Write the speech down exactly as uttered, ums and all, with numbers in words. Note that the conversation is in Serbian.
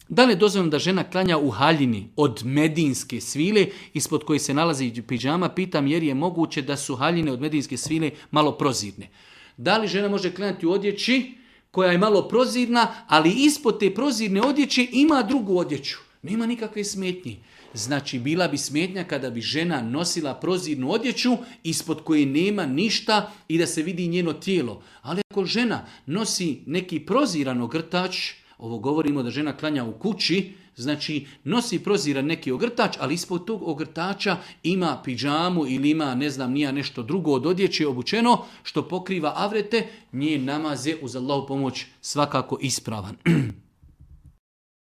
Da li je dozvoljeno da žena klanja u haljini od medinske svile ispod koje se nalazi pidžama? Pitam jer je moguće da su haljine od medinske svile malo prozirne. Da li žena može klanjati u odjeći koja je malo prozirna, ali ispod te prozirne odjeće ima drugu odjeću? Nema nikakve smetnje. Znači, bila bi smetnja kada bi žena nosila prozirnu odjeću ispod koje nema ništa i da se vidi njeno tijelo. Ali ako žena nosi neki proziran ogrtač, ovo govorimo da žena klanja u kući, znači nosi proziran neki ogrtač, ali ispod tog ogrtača ima pidžamu ili ima, ne znam, nija nešto drugo od odjeće obučeno što pokriva avrete, njen namaz je uz Allahu pomoć svakako ispravan.